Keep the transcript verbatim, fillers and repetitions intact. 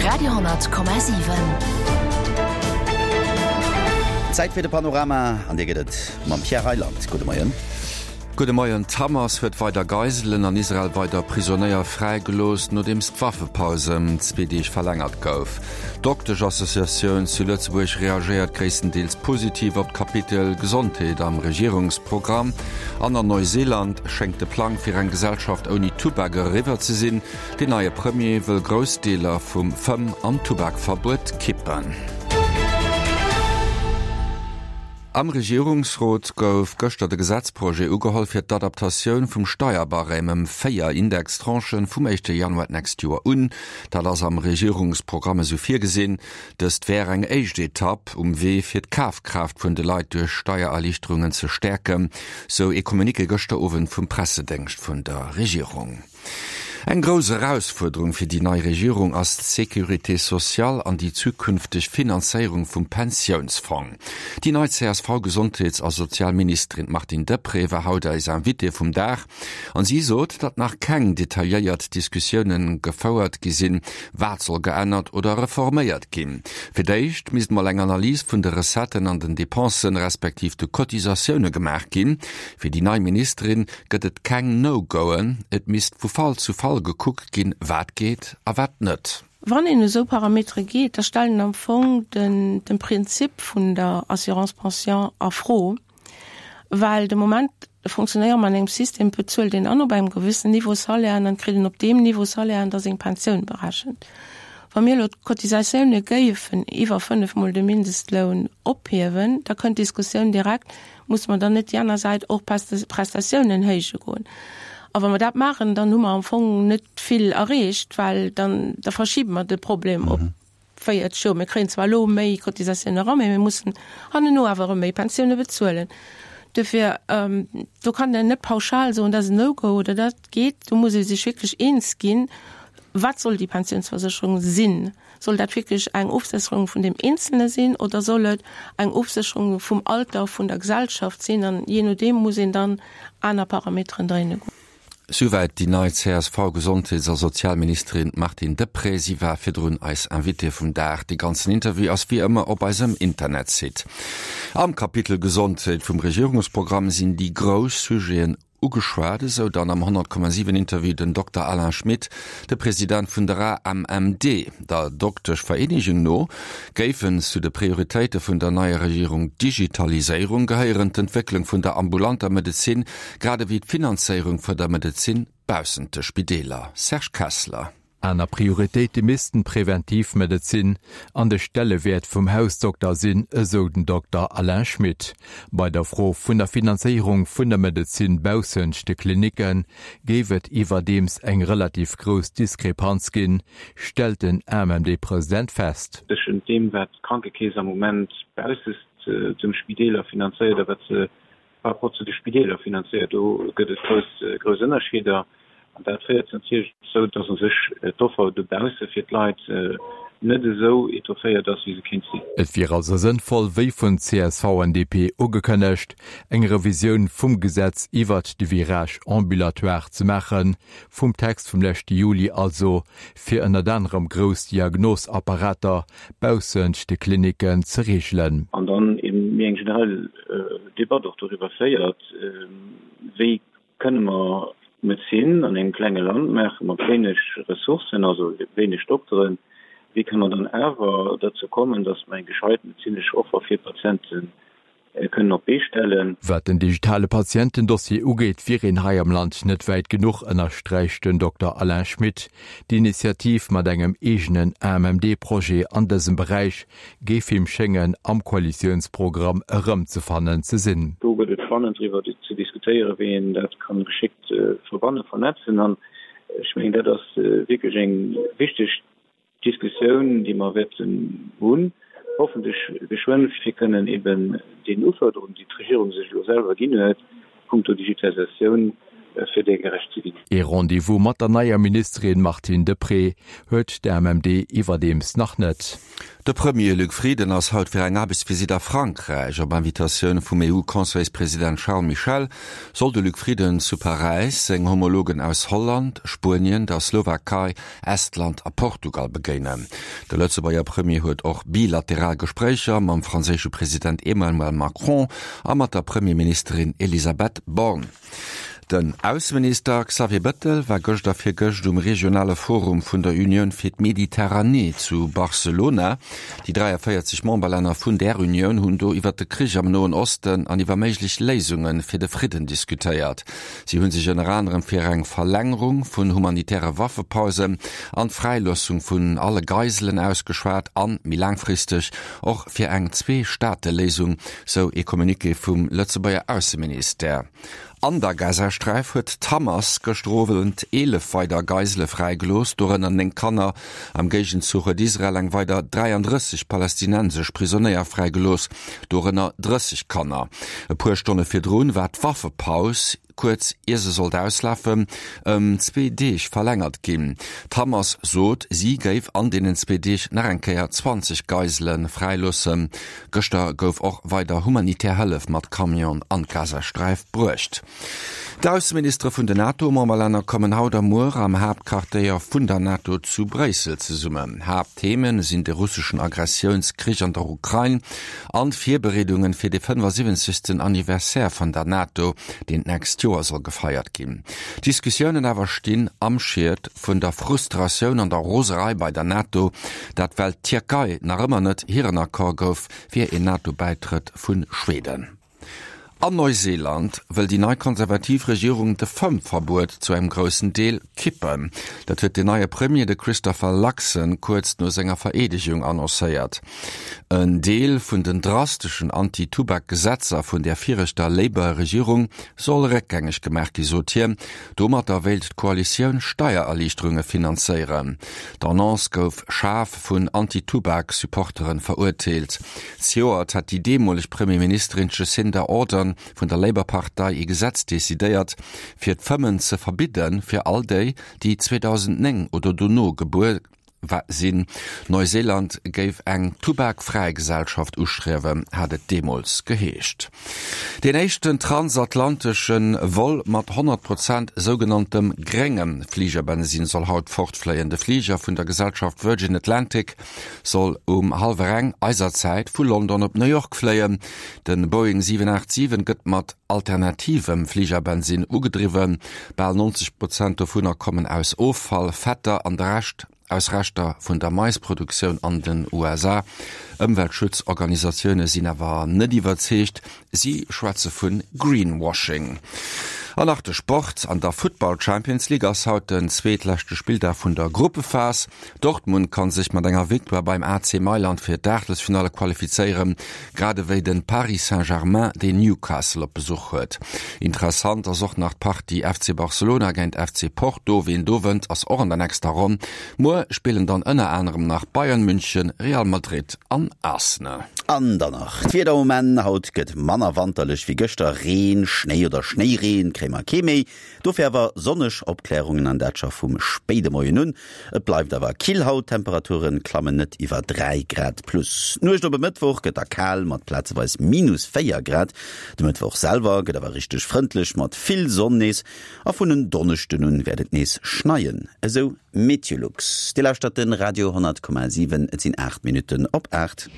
Radio honnert Komma siwen. Zäit fir de Panorama an dee gëtt et mam Pierre Reyland. Gudde Moien. Gudde Moien. D'Hamas huet weider Geiselen an Israel weider Prisonéier fräigelooss, nodeems d'Waffepaus ëm zwee Deeg verlängert gouf. D'Dokteschassociatioun zu Lëtzebuerg reagéiert gréisstendeels positiv op d'Kapitel Gesondheet am Regierungsprogramm. An an Neuseeland schéngt de Plang fir eng Gesellschaft ouni Tubak eriwwer ze sinn. Den neie Premier wëll grouss Deeler vum Fëmm an Tubakverbuet kippen. Am Regierungsrot gouf gëschter de Gesetzprojet ugeholl fir d'Adaptatioun vum Steierbarème ëm véier Indextranchen vum éischte Januar d'nächst Joer un. Dat ass am Regierungsprogramm esou virgesinn. Dëst wär eng éischt Etapp um Wee fir d'Kafkraaft vun de Leit duerch Steiererliichterungen ze stäerken, sou ee Communiqué gëschter Owend vum Pressedéngscht vun der Regierung. Eng grouss Erausfuerderung fir déi nei Regierung ass d'Sécurité sociale an déi zukünfteg Finanzéierung vum Pensiounsfong. Déi nei C S V-Gesondheets a Sozialministerin Martine Deprez war haut eis Invitée vum Dag an si sot, datt nach keng detailléiert Diskussioune gefouert gi sinn, wat soll geännert oder reforméiert ginn. Fir d'éischt misst mol eng Analys vun de Recetten an den Depensen, respektiv de Cotisatioune gemaach ginn. Fir déi nei Ministerin gëtt et keng No-Goen, et misst vu Fall zu Fall gekuckt ginn, wat geet a wat net. Wann een esou Parametere geet, da stellt een am Fong den, den Prinzip vun der Assurance Pension a Fro, well de Moment funktionéiere mer an engem System, bezuelt een an op engem gewëssen Niveau Salaire an dann kritt een op deem Niveau Salaire da seng Pensioun berechent. Wa mir elo d'Cotisatioune géifen iwwer fënnef Mol de Mindestloun ophiewen, da kënnt d'Diskussioun direkt, Muss mer dann net déi aner Säit och Prestatiounen héije goen? A wa mer dat maachen, dann hu mer am Fong net vill erreecht, well dann da verschibe mer de Problem op véierzeg Joer. Mir kréien zwar elo méi Cotisatiounen eran, mee mir mussen hanneno awer erëm méi Pensioune bezuelen. Dofir, do kann een net pauschal soen, dat ass en No-Go oder dat geet. Do muss ee sech wierklech eens ginn, Wat soll déi Pensiounsversécherung sinn? Soll dat wierklech eng Ofsécherung vun deem Eenzelne sinn oder soll et eng Ofsécherung vum Alter vun der Gesellschaft sinn? An jee nodeem muss een dann aner Parameteren dréine goen. Souwäit déi nei C S V-Gesondheets a Sozialministerin Martine Deprez. Si war virdrun eis Invitée vum Dag. Dee ganzen Interview ass wéi ëmmer op eisem Internetsite. Am Kapitel Gesondheet vum Regierungsprogramm sinn déi grouss Sujeten ugeschwat, esou dann am honnert Komma siwen Interview den Dokter Alain Schmit, de President vun der A M M D. Der Dokteschvereenegung no géifen zu de Prioritéite vun der neier Regierung d'Digitaliséierung gehéieren, d'Entwécklung vun der ambulanter Medezin, grad ewéi d'Finanzéierung vun der Medezin baussent de Spideeler. Serge Kessler. Aner Prioritéite missten d'Preventivmedezin an de Stellewäert vum Hausdokter sinn, esou den Dokter Alain Schmit. Bei der Fro vun der Finanzéierung vun der Medezin baussent de Klinicke géif et iwwerdeems eng relativ grouss Diskrepanz ginn, stellt den A M M D-President fest. Tëschent deem, wat d'Krankekeess am Moment baussent dem Spideeler finanzéiert a wat se par rapport zu de Spideeler finanzéiert, do gëtt et grouss, grouss Ënnerscheeder. An dat féiert natierlech dozou, dass u sech d'Offer dobausse fir d'Leit net esou étofféiert ass, wéi se kéint sinn. Et wier also sënnvoll, wéi vun C S V an D P ugekënnegt, eng Revisioun vum Gesetz iwwert de Virage ambulatoire ze maachen, vum Text vum leschte Juli also, fir ënnert anerem grouss Diagnosapparater baussent de Klinicken ze reegelen. An dann eben méi eng generell Debatt och doriwwer féiert, wéi kënne mer Medezin an engem klenge Land maachen, mat wéineg Ressourcen, also wéineg Dokteren, wéi kënne mer dann awer dozou kommen, datt mer eng gescheit medezinesch Offer fir d'Patiente kënnen op d'Bee stellen. Wat den digitale Patientendossier ugeet, wier een hei am Land net wäit genuch, ënnersträicht den Dokter Alain Schmit. D'Initiativ mat engem eegenen A M M D-Projet an dësem Beräich géif him schéngen am Koalitiounsprogramm erëmzefannen ze sinn. Do gëtt et spannend driwwer ze diskutéieren, wéi een dat ka geschéckt verbannen, vernetzen. An ech mengen, dat ass wierklech eng wichteg Diskussioun, déi mer wäerten hunn, hoffentlech geschwënn, fir kënnen eben deenen Ufuerderungen, déi d'Regierung sech elo selwer ginn huet, punkto Digitalisatioun, fir där gerecht ze ginn. Ee Rendez-vous mat der neier Ministerin Martine Deprez huet de M M D iwwerdeems nach net. De Premier Luc Frieden ass haut fir eng Aarbechtsvisitt a Frankräich. Op Invitatioun vum E U-Conseilspresident Charles Michel soll de Luc Frieden zu Paräis seng Homologen aus Holland, Spuenien, der Slowakei, Estland a Portugal begéinen. De Lëtzebuerger Premier huet och bilateral Gespréicher mam franséische President Emmanuel Macron a mat der Premierministerin Elisabeth Borne. Den Ausseminister Xavier Bettel war gëscht a virgëscht um regionale Forum vun der Unioun fir d'Mediterranee zu Barcelona. Déi dräiavéierzeg Memberlänner vun där Unioun hunn do iwwer de Krich am Noen Osten an iwwer méiglech Léisunge fir de Fridden diskutéiert. Si hunn sech ënner anerem fir eng Verlängerung vun humanitäre Waffepausen an d'Fräiloossung vun alle Geiselen ausgeschwat an, méi laangfristeg, och fir eng Zwee-Staate-Léisung, sou ee Communiqué vum Lëtzebuerger Ausseministère. An der Gazasträif huet d'Hamas gëschter Owend eelef weider Geisele fräigelooss, dorënner néng Kanner. Am Géigenzuch huet Israel eng weider dräiandrësseg palästinensesch Prisonéier fräigelooss, dorënner drësseg Kanner. E puer Stonne virdrun war d'Waffepaus, kuerz ier se sollt auslafen, ëm zwee Deeg verlängert ginn. D'Hamas sot, si géif an deenen zwee Deeg nach eng Kéier zwanzeg Geisele fräiloossen. Gëschter gouf och weider humanitär Hëllef mat Camion an d'Gazasträif bruecht. D'Ausseministere vun den NATO-Memberlänner kommen haut a muer am Haaptquartéier vun der NATO zu Bréissel zesummen. Haapttheme sinn de russeschen Aggressiounskrich an der Ukrain an d'Virbereedunge fir de fënnefasiwwenzegsten Anniversaire vun der NATO, deen d'nächst Joer soll gefeiert ginn. D'Diskussiounen awer stinn am Schiet vun der Frustratioun an der Roserei bei der NATO, dat well d'Tierkei nach ëmmer net hiren Accord gouf fir een NATO-Bäitrëtt vu Schweden. An Neuseeland wëll déi nei konservativ Regierung de Fëmmverbuet zu engem groussen Deel kippen. Dat huet den neie Premier, de Christopher Luxon, kuerz no senger Vereedegung annoncéiert. En Deel vun den drasteschen Anti-Tubak-Gesetzer vun der viregter Labour-Regierung soll réckgängeg gemaach gi, sot hien. Domatter wéilt d'Koalitioun Steiererliichterunge finanzéieren. D'Annonce gouf schaarf vun Anti-Tubak-Supportere verurteelt. Zejoert hat déi deemoleg Premierministerin Jacinda Ardern vun der Labour-Partei ee Gesetz decidéiert, fir d'Fëmmen ze verbidden fir all déi, déi zweedausendnéng oder dono gebuer sinn. Neuseeland géif eng tubakfräi Gesellschaft ustriewen, hat et deemools geheescht. Deen éischten transatlantesche Vol mat honnert Prozent sougenanntem gréngem Fligerbensin soll haut fortfléien. De Fliger vun der Gesellschaft Virgin Atlantic soll um hallwer eng eiser Zäit vu London op New York fléien. De Boeing siwen aacht siwen gëtt mat alternativem Fligerbensin ugedriwwen. Bal neunzeg Prozent dovunner kommen aus Offall, Fetter an de Rescht aus Reschter vun der Maisproduktioun an den U S A. Ëmweltschutzorganisatioune sinn awer net iwwerzeegt. Si schwätze vu Greenwashing. An nach de Sport. An der Football Champions League ass haut den zweetleschte Spilldag vun der Gruppephas. Dortmund kann sech mat enger Victoire beim A C Mailand fir d'Aachtelsfinale qualifizéieren, grad ewéi den Paris Saint-Germain, deen Newcastle op Besuch huet. Interessant ass och nach d'Partie F C Barcelona géint F C Porto. Wien do wënnt, ass och an der nächster Ronn. Muer spillen dann ënner anerem nach Bayern München, Real Madrid an Arsenal. An dann nach d'Wieder um Enn. Haut gëtt manner wanterlech wéi gëschter. Reen, Schnéi oder Schnéireen kréie mer kee méi. Dofir awer sonneg Opklärungen an dat scho vum spéide Moien un. Et bleift awer kill haut, Temperaturen klammen net iwwer dräi Grad plus. D'Nuecht op e Mëttwoch gëtt da kal mat plazeweis minus véier Grad. De Mëttwoch selwer gëtt awer richteg frëndlech mat vill Sonn nees. A vun en Donneschden un wäert et nees schneien, esou Meteolux. Dir lauschtert den Radio honnert Komma siwen, et sinn aacht Minutten op aacht.